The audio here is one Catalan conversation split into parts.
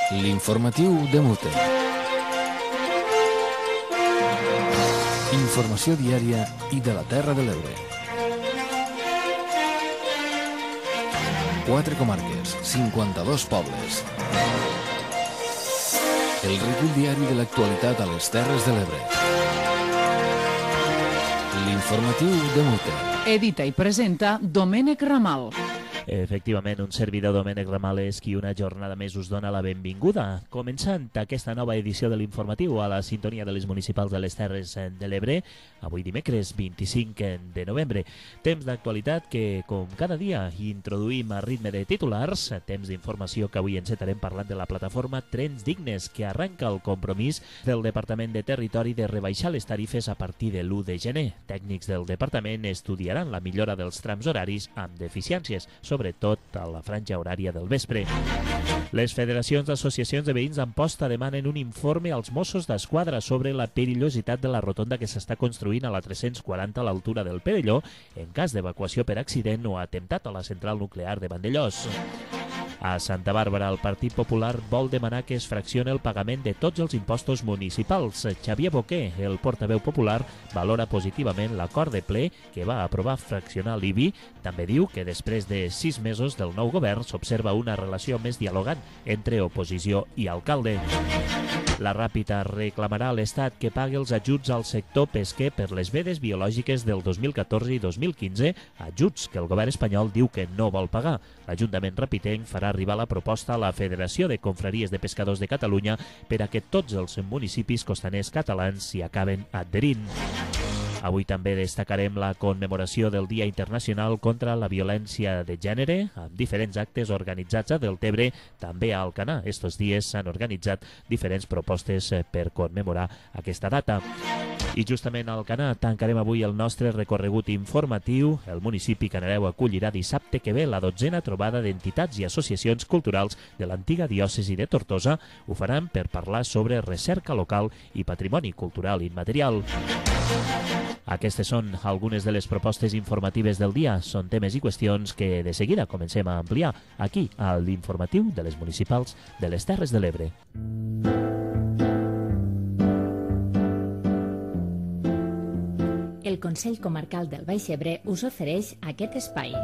L'informatiu de Mute. Informació diària i de la Terra de l'Ebre. 4 comarques, 52 pobles. El recull diari de l'actualitat a les Terres de l'Ebre. L'informatiu de Mute. Edita i presenta Domènec Ramal. Efectivament, un servidor, Domènec Ramal, és qui una jornada més us dona la benvinguda. Començant aquesta nova edició de l'informatiu a la sintonia de les municipals de les Terres de l'Ebre, avui dimecres 25 de novembre. Temps d'actualitat que, com cada dia, introduïm a ritme de titulars, temps d'informació que avui encetarem parlant de la plataforma Trens Dignes, que arranca el compromís del Departament de Territori de rebaixar les tarifes a partir de l'1 de gener. Tècnics del departament estudiaran la millora dels trams horaris amb deficiències, sobretot a la franja horària del vespre. Les federacions d'associacions de veïns d'Amposta demanen un informe als Mossos d'Esquadra sobre la perillositat de la rotonda que s'està construint a la 340 a l'altura del Perelló en cas d'evacuació per accident o atemptat a la central nuclear de Vandellós. A Santa Bàrbara, el Partit Popular vol demanar que es fraccione el pagament de tots els impostos municipals. Xavier Boquer, el portaveu popular, valora positivament l'acord de ple que va aprovar fraccionar l'IBI. També diu que després de 6 mesos del nou govern s'observa una relació més dialogant entre oposició i alcalde. La Ràpita reclamarà a l'Estat que pagui els ajuts al sector pesquer per les vedes biològiques del 2014 i 2015, ajuts que el govern espanyol diu que no vol pagar. L'Ajuntament rapitenc farà arribar la proposta a la Federació de Confraries de Pescadors de Catalunya per a que tots els municipis costaners catalans s'hi acaben adherint. Avui també destacarem la commemoració del Dia Internacional contra la Violència de Gènere, amb diferents actes organitzats a Deltebre, també a Alcanar. Estos dies s'han organitzat diferents propostes per commemorar aquesta data. I justament a Alcanar tancarem avui el nostre recorregut informatiu. El municipi Canareu acollirà dissabte que ve la 12a trobada d'entitats i associacions culturals de l'antiga diòcesi de Tortosa. Ho faran per parlar sobre recerca local i patrimoni cultural immaterial. Aquestes són algunes de les propostes informatives del dia. Són temes i qüestions que de seguida comencem a ampliar aquí a l'informatiu de les municipals de les Terres de l'Ebre. El Consell Comarcal del Baix Ebre us ofereix aquest espai.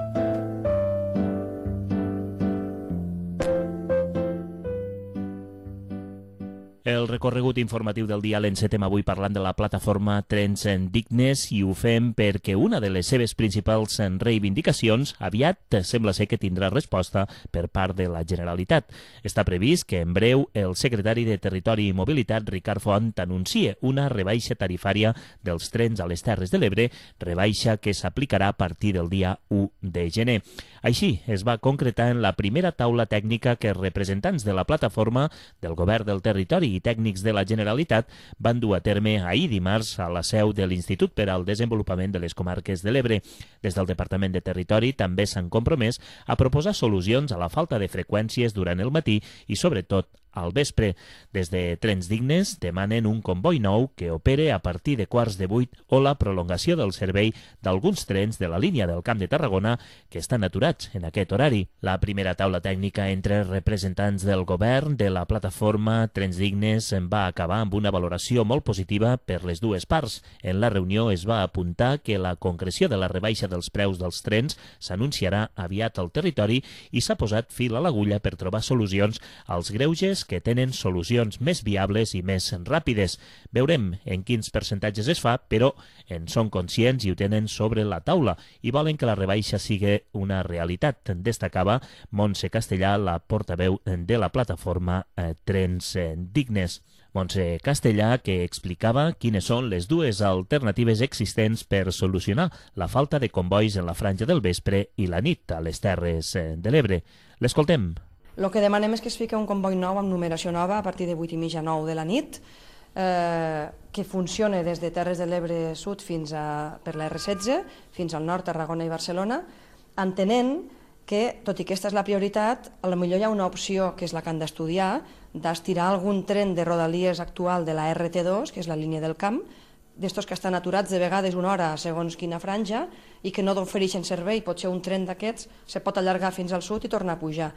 El recorregut informatiu del dia l'encetem avui parlant de la plataforma Trens Dignes i ho fem perquè una de les seves principals reivindicacions aviat sembla ser que tindrà resposta per part de la Generalitat. Està previst que en breu el secretari de Territori i Mobilitat, Ricard Font, anuncie una rebaixa tarifària dels trens a les Terres de l'Ebre, rebaixa que s'aplicarà a partir del dia 1 de gener. Així es va concretar en la primera taula tècnica que representants de la plataforma, del Govern del Territori i tècnics de la Generalitat van dur a terme ahir dimarts a la seu de l'Institut per al Desenvolupament de les Comarques de l'Ebre. Des del Departament de Territori també s'han compromès a proposar solucions a la falta de freqüències durant el matí i, sobretot, al vespre. Des de Trens Dignes demanen un comboi nou que opere a partir de 7:15 o la prolongació del servei d'alguns trens de la línia del Camp de Tarragona que estan aturats en aquest horari. La primera taula tècnica entre representants del govern de la plataforma Trens Dignes va acabar amb una valoració molt positiva per les dues parts. En la reunió es va apuntar que la concreció de la rebaixa dels preus dels trens s'anunciarà aviat al territori i s'ha posat fil a l'agulla per trobar solucions als greuges que tenen solucions més viables i més ràpides. Veurem en quins percentatges es fa, però en són conscients i ho tenen sobre la taula i volen que la rebaixa sigui una realitat, destacava Montse Castellà, la portaveu de la plataforma Trens Dignes. Montse Castellà, que explicava quines són les dues alternatives existents per solucionar la falta de combois en la franja del vespre i la nit a les Terres de l'Ebre. L'escoltem. El que demanem és que es fiqui un comboi nou amb numeració nova a partir de 8:30 9 de la nit, que funcione des de Terres de l'Ebre Sud per la R16 fins al nord, Tarragona i Barcelona, entenent que, tot i que aquesta és la prioritat, potser hi ha una opció, que és la que han d'estudiar, d'estirar algun tren de Rodalies actual de la RT2, que és la línia del camp, d'estos que estan aturats de vegades una hora segons quina franja i que no ofereixen servei. Potser un tren d'aquests se pot allargar fins al sud i tornar a pujar.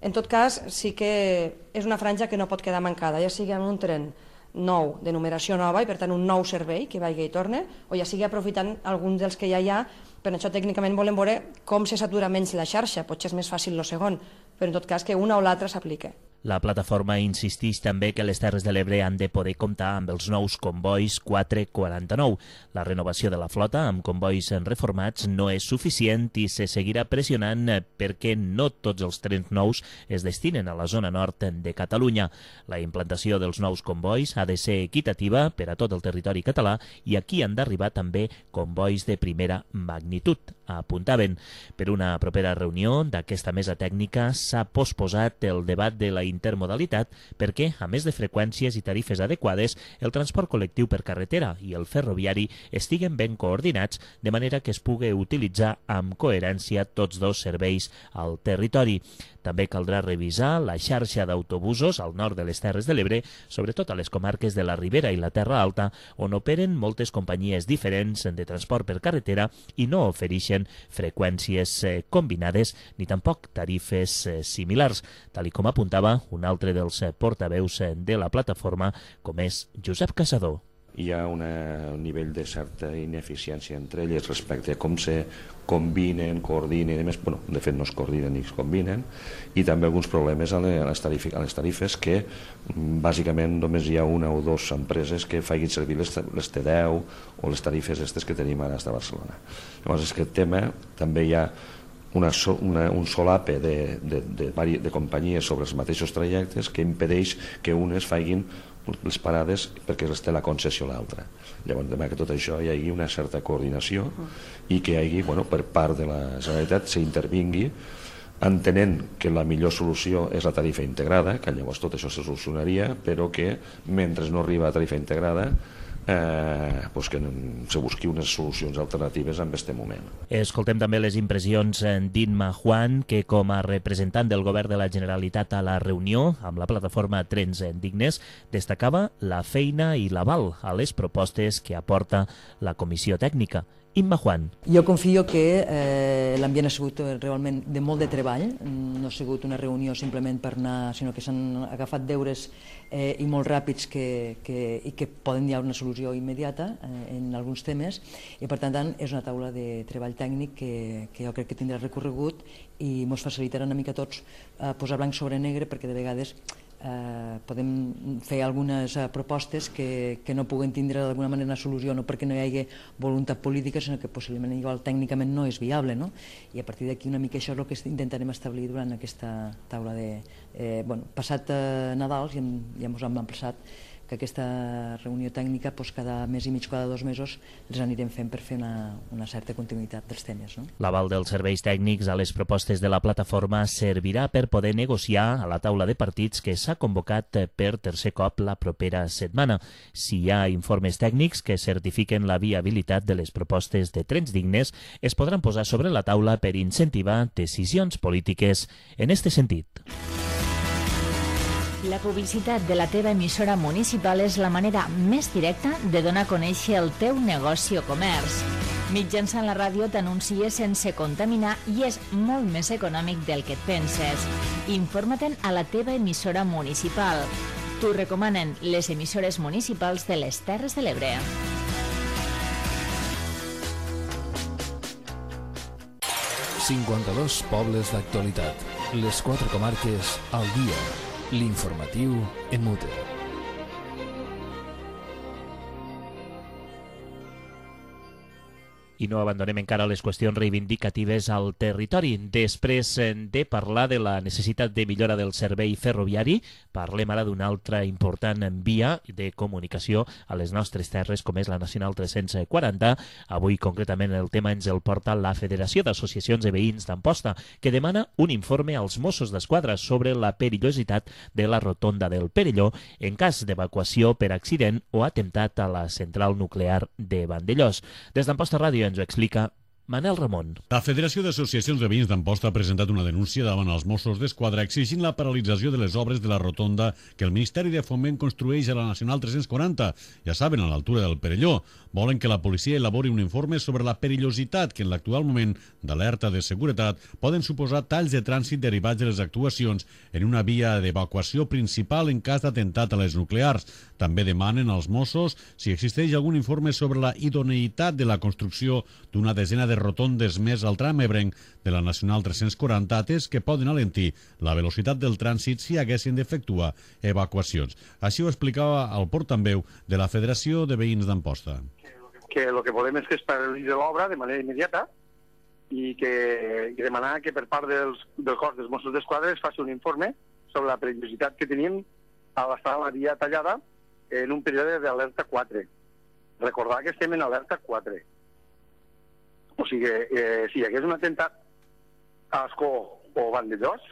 En tot cas, sí que és una franja que no pot quedar mancada, ja sigui amb un tren nou, de numeració nova, i per tant un nou servei que vagi i torne, o ja sigui aprofitant alguns dels que ja hi ha. Per això tècnicament volem veure com se satura menys la xarxa, potser és més fàcil el segon, però en tot cas que una o l'altra s'aplique. La plataforma insisteix també que les Terres de l'Ebre han de poder comptar amb els nous combois 449. La renovació de la flota amb combois reformats no és suficient i se seguirà pressionant perquè no tots els trens nous es destinen a la zona nord de Catalunya. La implantació dels nous combois ha de ser equitativa per a tot el territori català i aquí han d'arribar també combois de primera magnitud, apuntaven. Per una propera reunió d'aquesta mesa tècnica s'ha posposat el debat de la intermodalitat perquè, a més de freqüències i tarifes adequades, el transport col·lectiu per carretera i el ferroviari estiguen ben coordinats de manera que es pugui utilitzar amb coherència tots dos serveis al territori. També caldrà revisar la xarxa d'autobusos al nord de les Terres de l'Ebre, sobretot a les comarques de la Ribera i la Terra Alta, on operen moltes companyies diferents de transport per carretera i no ofereixen freqüències combinades ni tampoc tarifes similars, tal com apuntava un altre dels portaveus de la plataforma, com és Josep Caçador. Hi ha un nivell de certa ineficiència entre elles respecte a com se combinen, coordinen, i més, de fet no es coordinen ni es combinen, i també alguns problemes a les tarifes que bàsicament només hi ha una o dues empreses que facin servir les T10 o les tarifes aquestes que tenim ara a Barcelona. Llavors, aquest tema també hi ha un solape de companyies sobre els mateixos trajectes que impedeix que unes facin les parades perquè les té la concessió l'altra. Llavors, demà que tot això hi hagi una certa coordinació i que hi hagi, per part de la Generalitat, s'intervingui entenent que la millor solució és la tarifa integrada, que llavors tot això se solucionaria, però que mentre no arriba a tarifa integrada que se busqui unes solucions alternatives en aquest moment. Escoltem també les impressions d'Inma Juan, que com a representant del govern de la Generalitat a la reunió amb la plataforma Trens Dignes destacava la feina i l'aval a les propostes que aporta la comissió tècnica. Inma Juan. Jo confio que l'ambient ha sigut realment de molt de treball, no ha sigut una reunió simplement per anar, sinó que s'han agafat deures i molt ràpids i que poden hi ha una solució immediata en alguns temes, i per tant és una taula de treball tècnic que jo crec que tindrà recorregut i ens facilitarà una mica tots posar blanc sobre negre, perquè de vegades podem fer algunes propostes que no puguen tindre d'alguna manera una solució, no perquè no hi hagi voluntat política, sinó que possiblement igual tècnicament no és viable, no? I a partir d'aquí una mica això és el que intentarem establir durant aquesta taula de... passat Nadal ja ens hem emplaçat que aquesta reunió tècnica cada mes i mig, cada 2 mesos els anirem fent per fer una certa continuïtat dels temes. L'aval dels serveis tècnics a les propostes de la plataforma servirà per poder negociar a la taula de partits que s'ha convocat per tercer cop la propera setmana. Si hi ha informes tècnics que certifiquen la viabilitat de les propostes de Trens Dignes, es podran posar sobre la taula per incentivar decisions polítiques en este sentit. La publicitat de la teva emissora municipal és la manera més directa de donar a conèixer el teu negoci o comerç. Mitjançant la ràdio t'anuncies sense contaminar i és molt més econòmic del que et penses. Informa-te'n a la teva emissora municipal. T'ho recomanen les emissores municipals de les Terres de l'Ebre. ...52 pobles d'actualitat. Les 4 comarques al dia. L'informatiu en mute. I no abandonem encara les qüestions reivindicatives al territori. Després de parlar de la necessitat de millora del servei ferroviari, parlem ara d'una altra important via de comunicació a les nostres terres, com és la Nacional 340. Avui, concretament, el tema ens el porta la Federació d'Associacions de Veïns d'Amposta, que demana un informe als Mossos d'Esquadra sobre la perillositat de la rotonda del Perelló en cas d'evacuació per accident o atemptat a la central nuclear de Vandellós. Des d'Amposta Ràdio ens ho explica Manel Ramon. La Federació d'Associacions de Veïns d'Amposta ha presentat una denúncia davant els Mossos d'Esquadra exigint la paralització de les obres de la rotonda que el Ministeri de Foment construeix a la Nacional 340, ja saben, a l'altura del Perelló. Volen que la policia elabori un informe sobre la perillositat que en l'actual moment d'alerta de seguretat poden suposar talls de trànsit derivats de les actuacions en una via d'evacuació principal en cas d'atemptat a les nuclears. També demanen als Mossos si existeix algun informe sobre la idoneïtat de la construcció d'una desena de rotondes més al tram ebrenc de la Nacional 340, atès que poden alentir la velocitat del trànsit si haguessin d'efectuar evacuacions. Així ho explicava el portaveu de la Federació de Veïns d'Amposta. Que el que volem és que es paralitzi l'obra de manera immediata i demanar que per part del cos dels Mossos d'Esquadra es faci un informe sobre la perillositat que tenim a l'estar la via tallada en un període d'alerta 4. Recordar que estem en alerta 4. O sigui, si hi hagués un atemptat a Ascó o Vandellós,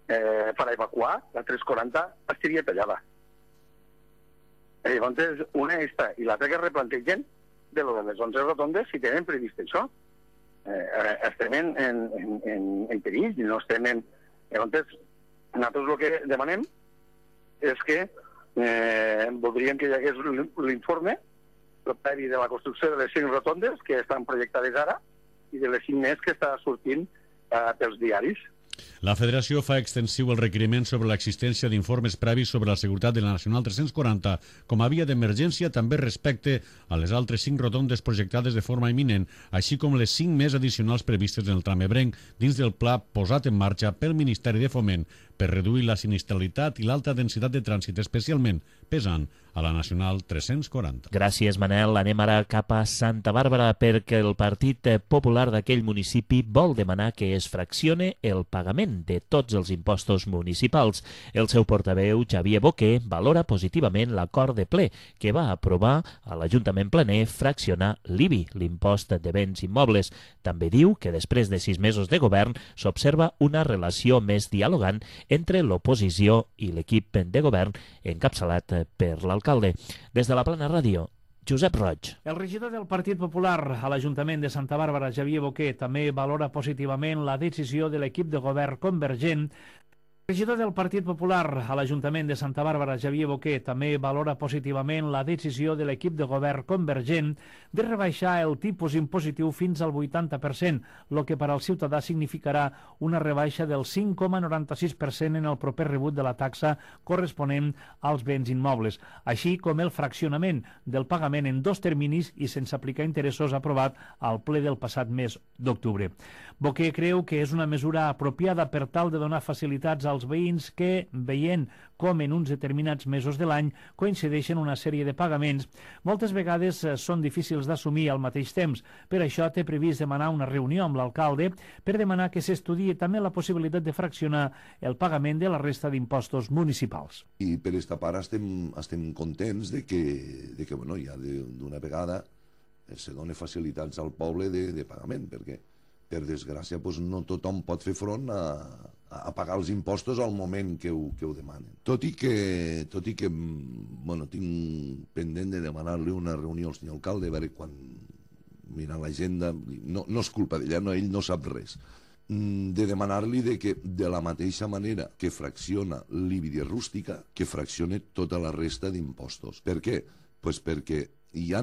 per evacuar, la 340 estaria tallada. Llavors, una està, i l'altra que replantegen de les 11 rotondes, si tenen previst això. Estem en perill, no estem en... Llavors, nosaltres el que demanem és que voldríem que hi hagués l'informe previ de la construcció de les 5 rotondes que estan projectades ara i de les 5 més que està sortint pels diaris. La Federació fa extensiu el requeriment sobre l'existència d'informes previs sobre la seguretat de la Nacional 340 com a via d'emergència també respecte a les altres 5 rotondes projectades de forma imminent, així com les 5 més addicionals previstes en el tram ebrenc dins del pla posat en marxa pel Ministeri de Foment per reduir la sinistralitat i l'alta densitat de trànsit, especialment pesant a la Nacional 340. Gràcies, Manel. Anem ara cap a Santa Bàrbara perquè el Partit Popular d'aquell municipi vol demanar que es fraccione el pagament de tots els impostos municipals. El seu portaveu, Xavier Boquer, valora positivament l'acord de ple que va aprovar a l'Ajuntament Planer fraccionar l'IBI, l'impost de béns immobles. També diu que després de 6 mesos de govern s'observa una relació més dialogant entre l'oposició i l'equip de govern encapçalat per l'alcalde. Des de la Plana Ràdio, Josep Roig. El regidor del Partit Popular a l'Ajuntament de Santa Bàrbara, Xavier Boquer, també valora positivament la decisió de l'equip de govern convergent. El regidor del Partit Popular a l'Ajuntament de Santa Bàrbara, Xavier Boquer, també valora positivament la decisió de l'equip de govern convergent de rebaixar el tipus impositiu fins al 80%, el que per al ciutadà significarà una rebaixa del 5,96% en el proper rebut de la taxa corresponent als béns immobles, així com el fraccionament del pagament en 2 terminis i sense aplicar interessos aprovat al ple del passat mes d'octubre. Boquer creu que és una mesura apropiada per tal de donar facilitats als veïns que, veient com en uns determinats mesos de l'any coincideixen una sèrie de pagaments, moltes vegades són difícils d'assumir al mateix temps. Per això té previst demanar una reunió amb l'alcalde per demanar que s'estudiï també la possibilitat de fraccionar el pagament de la resta d'impostos municipals. I per esta part estem contents de que bueno, ja d'una vegada se doni facilitats al poble de pagament, perquè per desgràcia no tothom pot fer front a pagar els impostos al moment que ho demanen. Tot i que bueno, tinc pendent de demanar-li una reunió al senyor alcalde, a veure quan mirant l'agenda, no és culpa d'ella, ell no sap res, de demanar-li que de la mateixa manera que fracciona l'IBI rústica, que fraccione tota la resta d'impostos. Per què? Pues perquè hi ha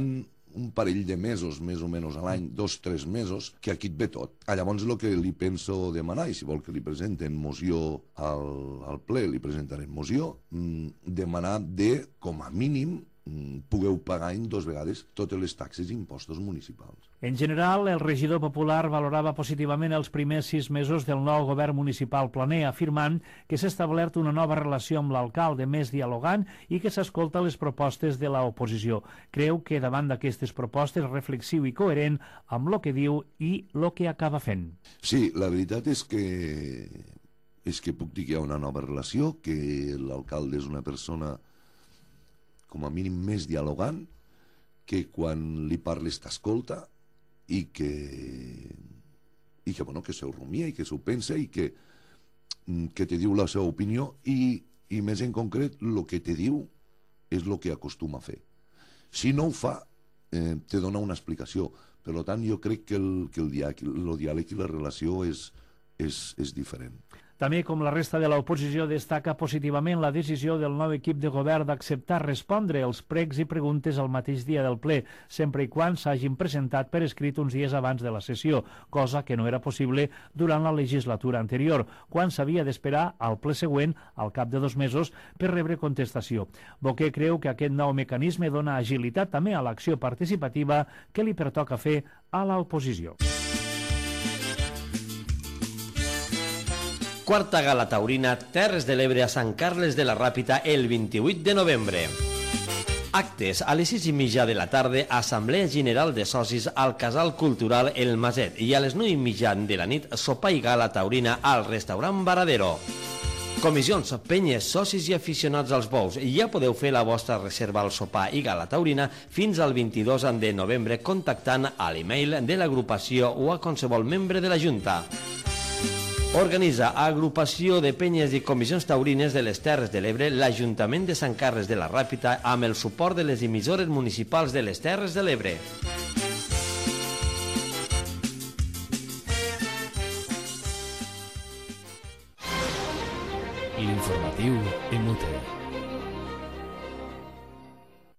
un parell de mesos, més o menys a l'any, 2-3 mesos, que aquí et ve tot. Llavors el que li penso demanar, i si vol que li presenten moció al ple, li presentarem moció, demanar de, com a mínim, pugueu pagar en 2 vegades totes les taxes i impostos municipals. En general, el regidor popular valorava positivament els primers 6 mesos del nou govern municipal planer, afirmant que s'ha establert una nova relació amb l'alcalde més dialogant i que s'escolta les propostes de l'oposició. Creu que davant d'aquestes propostes és reflexiu i coherent amb el que diu i el que acaba fent. Sí, la veritat és que puc dir que hi ha una nova relació, que l'alcalde és una persona com a mínim més dialogant, que quan li parles t'escolta i que s'ho rumia i que s'ho pensa i que te diu la seva opinió i més en concret el que te diu és el que acostuma a fer. Si no ho fa, te dona una explicació, Per tant, jo crec que el diàleg i la relació és diferent. També, com la resta de l'oposició, destaca positivament la decisió del nou equip de govern d'acceptar respondre els pregs i preguntes al mateix dia del ple, sempre i quan s'hagin presentat per escrit uns dies abans de la sessió, cosa que no era possible durant la legislatura anterior, quan s'havia d'esperar al ple següent, al cap de 2 mesos, per rebre contestació. Boquer creu que aquest nou mecanisme dona agilitat també a l'acció participativa que li pertoca fer a l'oposició. Quarta gala taurina Terres de l'Ebre a Sant Carles de la Ràpita el 28 de novembre. Actes a les 6:30 de la tarda, Assemblea General de Socis al Casal Cultural El Maset i a les 9:30 de la nit, sopar i gala taurina al restaurant Varadero. Comissions, penyes, socis i aficionats als bous, ja podeu fer la vostra reserva al sopar i gala taurina fins al 22 de novembre contactant a l'email de l'agrupació o a qualsevol membre de la Junta. Organitza Agrupació de Penyes i Comissions Taurines de les Terres de l'Ebre l'Ajuntament de Sant Carles de la Ràpita amb el suport de les emissores municipals de les Terres de l'Ebre. L'informatiu MUT.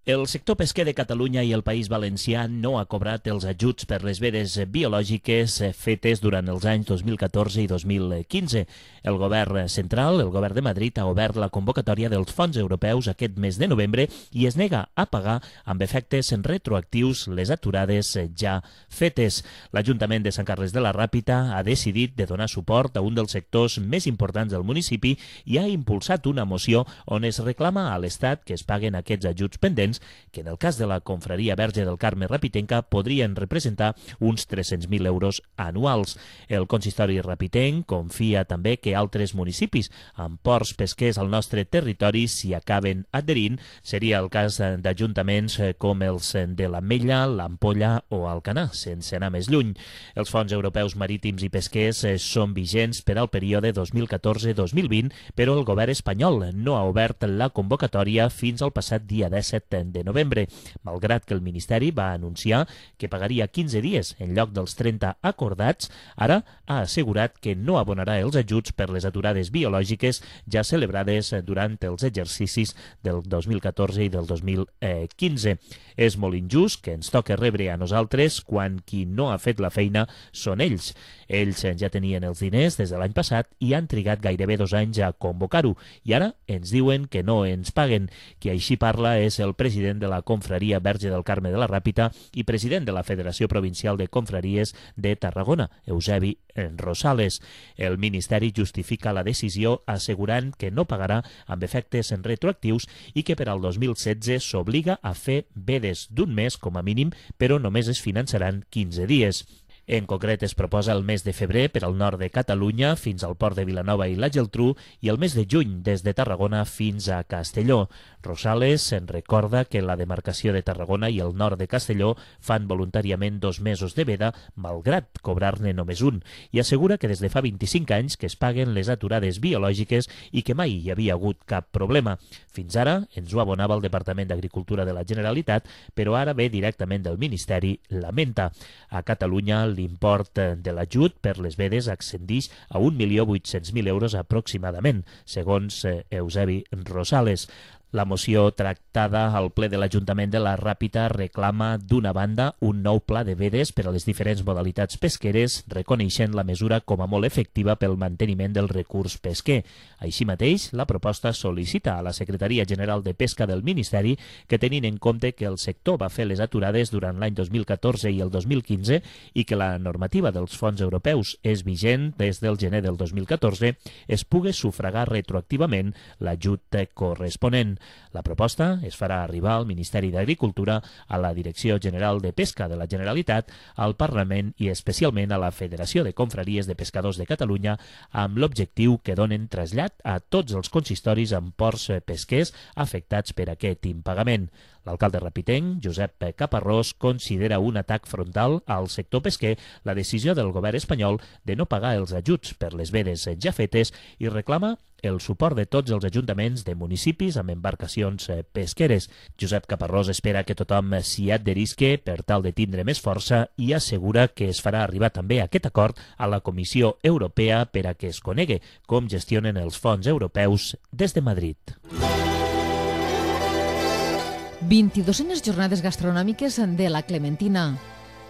El sector pesquer de Catalunya i el País Valencià no ha cobrat els ajuts per les vedes biològiques fetes durant els anys 2014 i 2015. El govern central, el govern de Madrid, ha obert la convocatòria dels fons europeus aquest mes de novembre i es nega a pagar amb efectes retroactius les aturades ja fetes. L'Ajuntament de Sant Carles de la Ràpita ha decidit de donar suport a un dels sectors més importants del municipi i ha impulsat una moció on es reclama a l'Estat que es paguen aquests ajuts pendents que en el cas de la Confraria Verge del Carme Rapitenca podrien representar uns 300.000 euros anuals. El consistori rapitenc confia també que altres municipis amb ports pesquers al nostre territori s'hi acaben adherint. Seria el cas d'ajuntaments com els de l'Ametlla, l'Ampolla o Alcanar, sense anar més lluny. Els fons europeus marítims i pesquers són vigents per al període 2014-2020, però el govern espanyol no ha obert la convocatòria fins al passat dia 17 de novembre, malgrat que el Ministeri va anunciar que pagaria 15 dies en lloc dels 30 acordats. Ara ha assegurat que no abonarà els ajuts per les aturades biològiques ja celebrades durant els exercicis del 2014 i del 2015. És molt injust que ens toque rebre a nosaltres quan qui no ha fet la feina són ells. Ells ja tenien els diners des de l'any passat i han trigat gairebé 2 anys a convocar-ho i ara ens diuen que no ens paguen. Qui així parla és el president de la Confraria Verge del Carme de la Ràpita i president de la Federació Provincial de Confraries de Tarragona, Eusebi Rosales. El Ministeri justifica la decisió assegurant que no pagarà amb efectes retroactius i que per al 2016 s'obliga a fer vedes d'un mes com a mínim, però només es finançaran 15 dies. En concret, es proposa el mes de febrer per al nord de Catalunya fins al port de Vilanova i la Geltrú i el mes de juny des de Tarragona fins a Castelló. Rosales en recorda que la demarcació de Tarragona i el nord de Castelló fan voluntàriament 2 mesos de veda, malgrat cobrar-ne només un, i assegura que des de fa 25 anys que es paguen les aturades biològiques i que mai hi havia hagut cap problema. Fins ara ens ho abonava el Departament d'Agricultura de la Generalitat, però ara ve directament del Ministeri, lamenta. A Catalunya, l'import de l'ajut per les vedes ascendeix a 1.800.000 euros aproximadament, segons Eusebi Rosales. La moció tractada al ple de l'Ajuntament de la Ràpita reclama, d'una banda, un nou pla de vedes per a les diferents modalitats pesqueres, reconeixent la mesura com a molt efectiva pel manteniment del recurs pesquer. Així mateix, la proposta sol·licita a la Secretaria General de Pesca del Ministeri que, tenint en compte que el sector va fer les aturades durant l'any 2014 i el 2015 i que la normativa dels fons europeus és vigent des del gener del 2014, es pugui sufragar retroactivament l'ajut corresponent. La proposta es farà arribar al Ministeri d'Agricultura, a la Direcció General de Pesca de la Generalitat, al Parlament i especialment a la Federació de Confraries de Pescadors de Catalunya, amb l'objectiu que donen trasllat a tots els consistoris amb ports pesquers afectats per aquest impagament. L'alcalde rapitenc, Josep Caparrós, considera un atac frontal al sector pesquer la decisió del govern espanyol de no pagar els ajuts per les vedes ja fetes i reclama el suport de tots els ajuntaments de municipis amb embarcacions pesqueres. Josep Caparrós espera que tothom s'hi adherisque per tal de tindre més força i assegura que es farà arribar també aquest acord a la Comissió Europea per a que es conegue com gestionen els fons europeus des de Madrid. 22enes jornades gastronòmiques de la Clementina.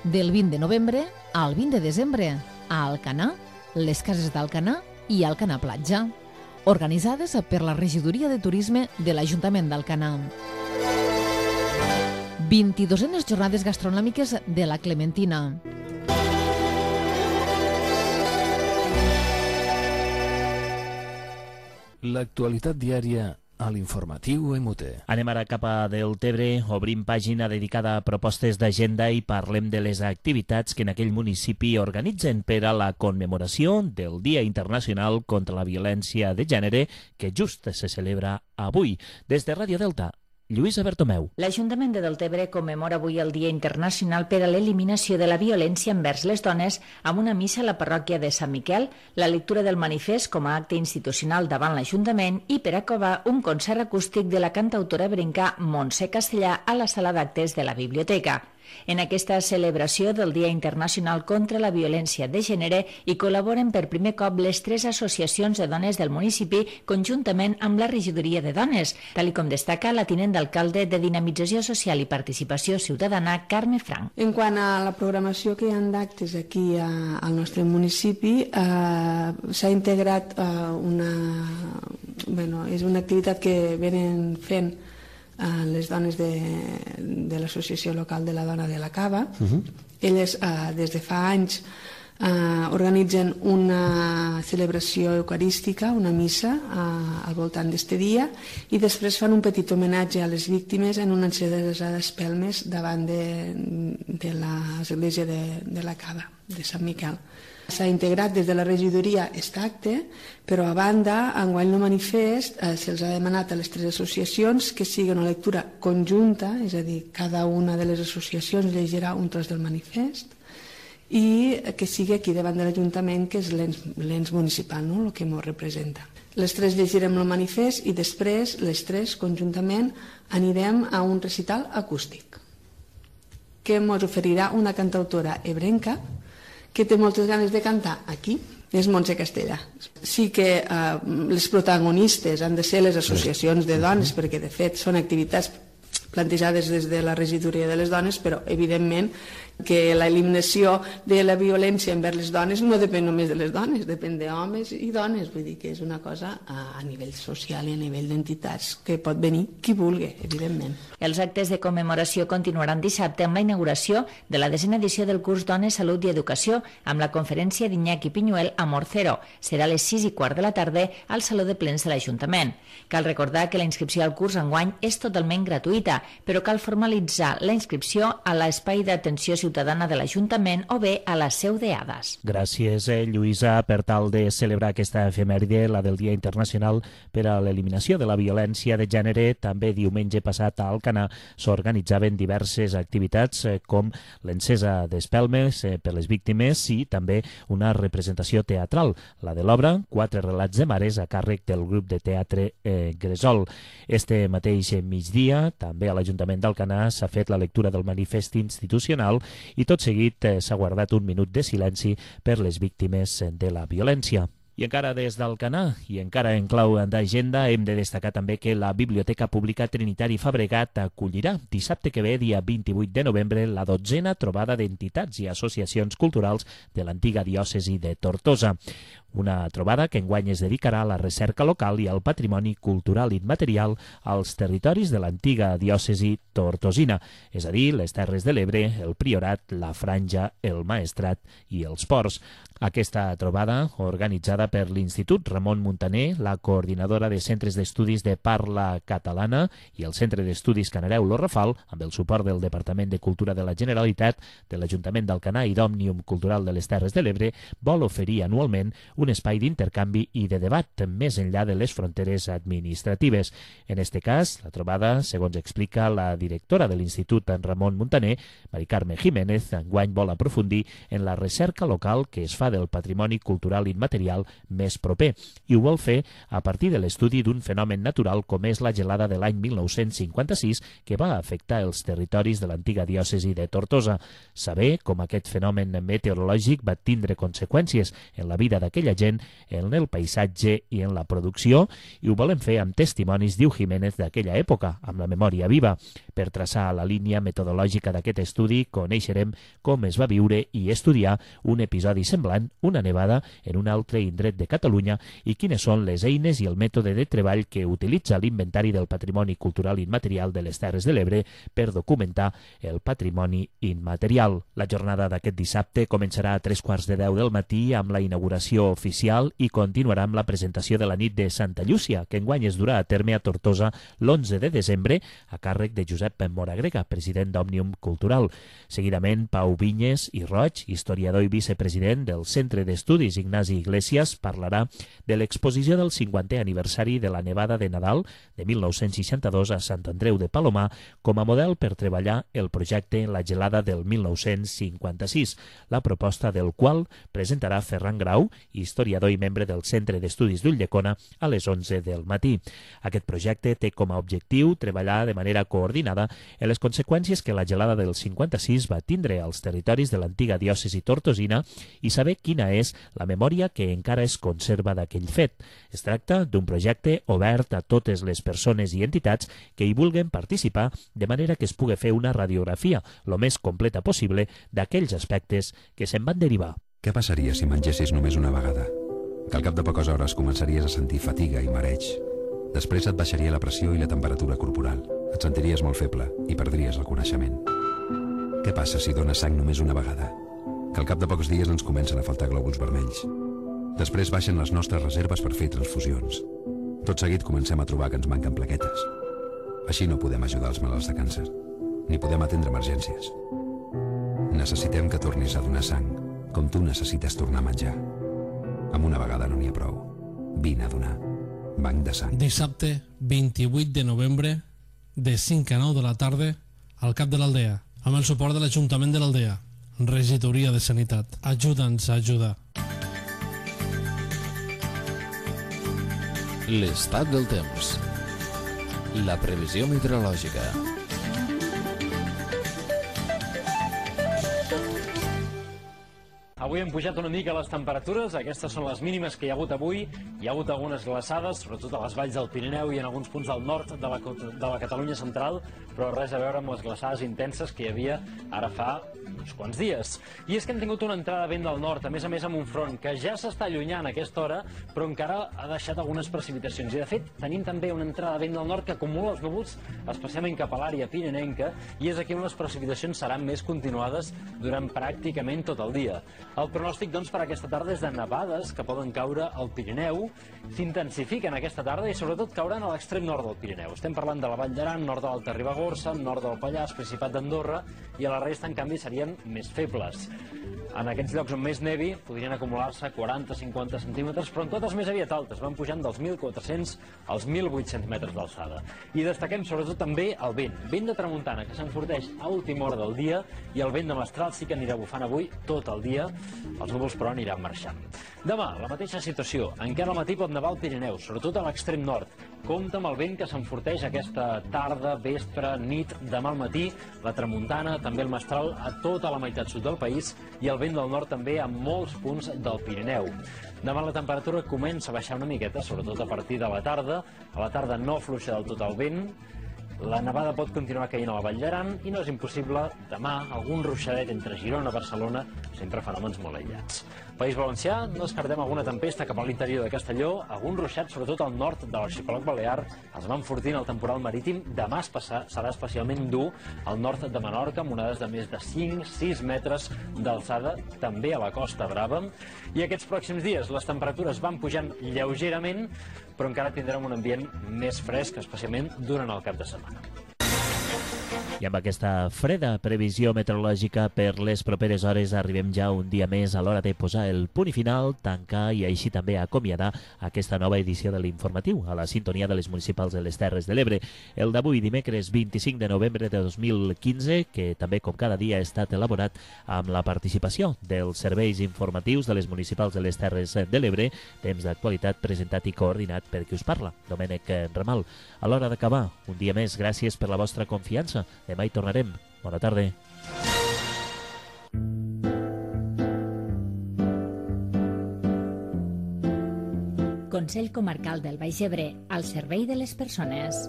Del 20 de novembre al 20 de desembre a Alcanar, les cases d'Alcanar i Alcanar Platja, organitzades per la Regidoria de Turisme de l'Ajuntament d'Alcanar. 22enes jornades gastronòmiques de la Clementina. L'actualitat diària a l'informatiu MUT. Anem ara cap a Deltebre, obrim pàgina dedicada a propostes d'agenda i parlem de les activitats que en aquell municipi organitzen per a la commemoració del Dia Internacional contra la Violència de Gènere, que just se celebra avui. Des de Ràdio Delta, Lluïsa Bertomeu. L'Ajuntament de Deltebre commemora avui el Dia Internacional per a l'eliminació de la violència envers les dones amb una missa a la parròquia de Sant Miquel, la lectura del manifest com a acte institucional davant l'Ajuntament i per acabar un concert acústic de la cantautora ebrenca Montse Castellà a la sala d'actes de la biblioteca. En aquesta celebració del Dia Internacional contra la Violència de Gènere hi col·laboren per primer cop les 3 associacions de dones del municipi conjuntament amb la Regidoria de Dones, tal com destaca la tinent d'alcalde de Dinamització Social i Participació Ciutadana, Carme Frank. En quant a la programació que hi ha d'actes aquí al nostre municipi, s'ha integrat és una activitat que venen fent les dones de l'Associació Local de la Dona de la Cava. Elles des de fa anys organitzen una celebració eucarística, una missa al voltant d'aquest dia, i després fan un petit homenatge a les víctimes en una encesa d'espelmes davant de l'església de la Cava, de Sant Miquel. S'ha integrat des de la regidoria aquest acte, però a banda, enguany el manifest se'ls ha demanat a les 3 associacions que sigui una lectura conjunta, és a dir, cada una de les associacions llegirà un tros del manifest, i que sigui aquí davant de l'Ajuntament, que és l'ens municipal, el que ens representa. Les 3 llegirem el manifest i després les 3 conjuntament anirem a un recital acústic que ens oferirà una cantautora ebrenca que té moltes ganes de cantar aquí, és Montse Castellà. Sí que les protagonistes han de ser les associacions de dones, perquè de fet són activitats plantejades des de la regidoria de les dones, però evidentment que l'eliminació de la violència envers les dones no depèn només de les dones, depèn d'homes i dones, vull dir que és una cosa a nivell social i a nivell d'entitats que pot venir qui vulgui, evidentment. Els actes de commemoració continuaran dissabte amb la inauguració de la 10a edició del curs Dones, Salut i Educació amb la conferència d'Iñaki Piñuel Amor Cero. Serà a les 6:15 de la tarda al Saló de Plens de l'Ajuntament. Cal recordar que la inscripció al curs enguany és totalment gratuïta, però cal formalitzar la inscripció a l'espai d'atenció ciutadana de l'Ajuntament o bé a la seu d'Ades. Gràcies, Lluïsa. Per tal de celebrar aquesta efemèride, la del Dia Internacional per a l'Eliminació de la Violència de Gènere, també diumenge passat a Alcanar s'organitzaven diverses activitats com l'encesa d'espelmes per les víctimes i també una representació teatral, la de l'obra 4 relats de mares a càrrec del grup de teatre Gresol. Este mateix migdia, també a l'Ajuntament d'Alcanar s'ha fet la lectura del manifest institucional i tot seguit s'ha guardat un minut de silenci per les víctimes de la violència. I encara des d'Alcanar, i encara en clau d'agenda, hem de destacar també que la Biblioteca Pública Trinitari Fabregat acollirà dissabte que ve, dia 28 de novembre, la 12a trobada d'entitats i associacions culturals de l'antiga diòcesi de Tortosa. Una trobada que enguany es dedicarà a la recerca local i al patrimoni cultural immaterial als territoris de l'antiga diòcesi tortosina, és a dir, les Terres de l'Ebre, el Priorat, la Franja, el Maestrat i els Ports. Aquesta trobada, organitzada passarà per l'Institut Ramon Muntaner, la coordinadora de centres d'estudis de parla catalana i el Centre d'Estudis Canareu Lo Rafal, amb el suport del Departament de Cultura de la Generalitat, de l'Ajuntament d'Alcanar i d'Òmnium Cultural de les Terres de l'Ebre, vol oferir anualment un espai d'intercanvi i de debat més enllà de les fronteres administratives. En este cas, la trobada, segons explica la directora de l'Institut Ramon Muntaner, Mari Carme Jiménez, enguany vol aprofundir en la recerca local que es fa del patrimoni cultural immaterial més proper, i ho vol fer a partir de l'estudi d'un fenomen natural com és la gelada de l'any 1956 que va afectar els territoris de l'antiga diòcesi de Tortosa. Saber com aquest fenomen meteorològic va tindre conseqüències en la vida d'aquella gent, en el paisatge i en la producció, i ho volem fer amb testimonis, diu Jiménez, d'aquella època, amb la memòria viva. Per traçar la línia metodològica d'aquest estudi, coneixerem com es va viure i estudiar un episodi semblant, una nevada, en un altre indret de Catalunya i quines són les eines i el mètode de treball que utilitza l'Inventari del Patrimoni Cultural Immaterial de les Terres de l'Ebre per documentar el patrimoni immaterial. La jornada d'aquest dissabte començarà a 3:15 del matí amb la inauguració oficial i continuarà amb la presentació de la nit de Santa Llúcia, que enguany es durà a terme a Tortosa l'11 de desembre a càrrec de Josep Moragrega, president d'Òmnium Cultural. Seguidament, Pau Vinyes i Roig, historiador i vicepresident del Centre d'Estudis Ignasi Iglesias, parlarà de l'exposició del 50è aniversari de la nevada de Nadal de 1962 a Sant Andreu de Palomar com a model per treballar el projecte La gelada del 1956, la proposta del qual presentarà Ferran Grau, historiador i membre del Centre d'Estudis d'Ulldecona, a les 11 del matí. Aquest projecte té com a objectiu treballar de manera coordinada en les conseqüències que la gelada del 56 va tindre als territoris de l'antiga diòcesi tortosina i saber quina és la memòria que encara es conserva d'aquell fet. Es tracta d'un projecte obert a totes les persones i entitats que hi vulguen participar, de manera que es pugui fer una radiografia lo més completa possible d'aquells aspectes que se'n van derivar. Què passaria si mengessis només una vegada? Que al cap de poques hores començaries a sentir fatiga i mareig. Després et baixaria la pressió i la temperatura corporal. Et sentiries molt feble i perdries el coneixement. Què passa si dones sang només una vegada? Que al cap de pocs dies ens comencen a faltar glòbuls vermells. Després baixen les nostres reserves per fer transfusions. Tot seguit comencem a trobar que ens manquen plaquetes. Així no podem ajudar els malalts de càncer, ni podem atendre emergències. Necessitem que tornis a donar sang, com tu necessites tornar a menjar. Amb una vegada no n'hi ha prou. Vine a donar. Banc de sang. Dissabte 28 de novembre, de 5 a 9 de la tarda, al cap de l'Aldea, amb el suport de l'Ajuntament de l'Aldea, Regidoria de Sanitat. Ajuda'ns a ajudar. L'estat del temps. La previsió meteorològica. Avui hem pujat una mica les temperatures, aquestes són les mínimes que hi ha hagut avui. Hi ha hagut algunes glaçades, sobretot a les valls del Pirineu i en alguns punts del nord de la Catalunya central, però res a veure amb les glaçades intenses que hi havia ara fa uns quants dies. I és que hem tingut una entrada de vent del nord, a més amb un front que ja s'està allunyant a aquesta hora, però encara ha deixat algunes precipitacions. I de fet, tenim també una entrada de vent del nord que acumula els núvols, especialment cap a l'àrea pirinenca, i és aquí on les precipitacions seran més continuades durant pràcticament tot el dia. El pronòstic, doncs, per aquesta tarda és de nevades que poden caure al Pirineu, s'intensifiquen aquesta tarda i sobretot cauran a l'extrem nord del Pirineu. Estem parlant de la Vall d'Aran, nord de l'Alta Ribagorça, nord del Pallars, Principat d'Andorra, i a la resta, en canvi, serien més febles. En aquests llocs on més nevi podrien acumular-se 40-50 centímetres, però en totes més aviat altes, van pujant dels 1.400 als 1.800 metres d'alçada. I destaquem sobretot també el vent de tramuntana, que s'enforteix a última hora del dia, i el vent de mestral sí que anirà bufant avui tot el dia. Els núvols, però, aniran marxant. Demà, la mateixa situació. Encara al matí pot nevar al Pirineu, sobretot a l'extrem nord. Compte amb el vent que s'enforteix aquesta tarda, vespre, nit, demà al matí, la tramuntana, també el mestral a tota la meitat sud del país i el vent del nord també a molts punts del Pirineu. Demà la temperatura comença a baixar una miqueta, sobretot a partir de la tarda. A la tarda no afluixa del tot el vent La nevada pot continuar caient a la Vall d'Aran i no és impossible demà algun ruixadet entre Girona i Barcelona, sempre fenòmens molt aïllats. País Valencià, no descartem alguna tempesta cap a l'interior de Castelló, algun ruixat sobretot al nord de l'arxipèlag balear es va enfortint el temporal marítim. Demà serà especialment dur al nord de Menorca, amb onades de més de 5-6 metres d'alçada, també a la Costa Brava. I aquests pròxims dies les temperatures van pujant lleugerament, però encara tindrem un ambient més fresc, especialment durant el cap de setmana. I amb aquesta freda previsió meteorològica per les properes hores arribem ja un dia més a l'hora de posar el punt i final, tancar i així també acomiadar aquesta nova edició de l'informatiu a la sintonia de les municipals de les Terres de l'Ebre. El d'avui, dimecres 25 de novembre de 2015, que també com cada dia ha estat elaborat amb la participació dels serveis informatius de les municipals de les Terres de l'Ebre, temps d'actualitat presentat i coordinat per qui us parla, Domènec Ramal. A l'hora d'acabar, un dia més, gràcies per la vostra confiança. Demà hi tornarem. Bona tarda. Consell Comarcal del Baix Ebre, al servei de les persones.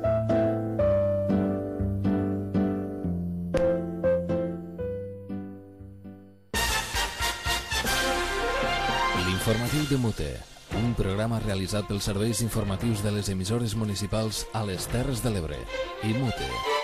L'informatiu de Mute, un programa realitzat pels serveis informatius de les emissores municipals a les Terres de l'Ebre i Mute.